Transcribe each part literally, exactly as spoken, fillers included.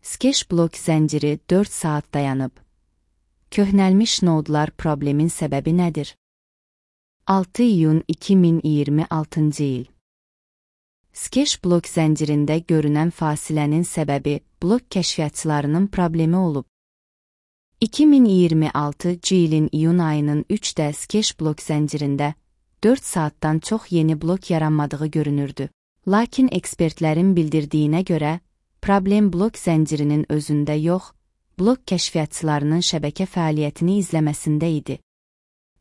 Skeş blok zənciri dörd saat dayanıb. Köhnəlmiş nodlar problemin səbəbi nədir? altı iyun iki min iyirmi altıncı il. Skeş blok zəncirində görünən fasilənin səbəbi blok kəşfiyyatçılarının problemi olub. iki min iyirmi altıncı ilin iyun ayının üçdə Skeş blok zəncirində dörd saatdan çox yeni blok yaranmadığı görünürdü. Lakin ekspertlərin bildirdiyinə görə, problem blok zəncirinin özündə yox, blok kəşfiyyatçılarının şəbəkə fəaliyyətini izləməsində idi.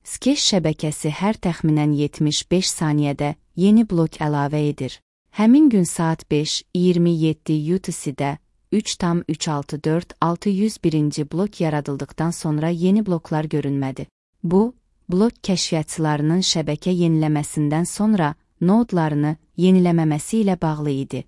Skeş şəbəkəsi hər təxminən yetmiş beş saniyədə yeni blok əlavə edir. Həmin gün saat beş iyirmi yeddi U T C-də üç tam üç altı dörd altı yüz birinci blok yaradıldıqdan sonra yeni bloklar görünmədi. Bu, blok kəşfiyyatçılarının şəbəkə yeniləməsindən sonra nodlarını yeniləməməsi ilə bağlı idi.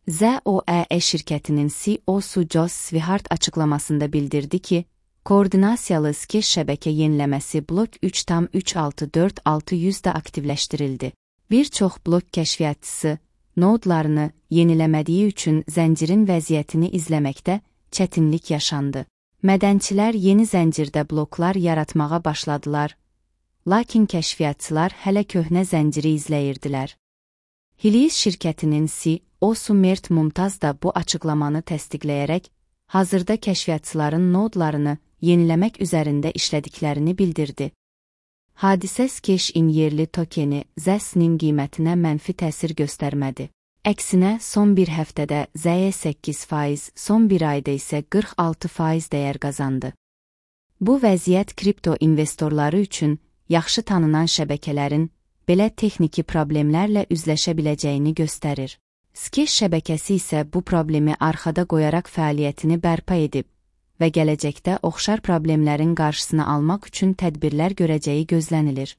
Z O E şirkətinin C E O-su Josh Swihart açıqlamasında bildirdi ki, koordinasiyalı Skeş şəbəkə yeniləməsi blok üç tam üç altı dörd altı yüzdə aktivləşdirildi. Bir çox blok kəşfiyyatçısı nodlarını yeniləmədiyi üçün zəncirin vəziyyətini izləməkdə çətinlik yaşandı. Mədənçilər yeni zəncirdə bloklar yaratmağa başladılar, lakin kəşfiyyatçılar hələ köhnə zənciri izləyirdilər. Helios şirkətinin C E O-su Mert Mumtaz da bu açıqlamanı təsdiqləyərək, hazırda kəşfiyyatçıların nodlarını yeniləmək üzərində işlədiklərini bildirdi. Hadisə Skeş-in yerli tokeni Z E S-nin qiymətinə mənfi təsir göstərmədi. Əksinə, son bir həftədə Z E səkkiz faiz, son bir ayda isə qırx altı faiz dəyər qazandı. Bu vəziyyət kripto investorları üçün yaxşı tanınan şəbəkələrin belə texniki problemlərlə üzləşə biləcəyini göstərir. Skeş şəbəkəsi isə bu problemi arxada qoyaraq fəaliyyətini bərpa edib və gələcəkdə oxşar problemlərin qarşısını almaq üçün tədbirlər görəcəyi gözlənilir.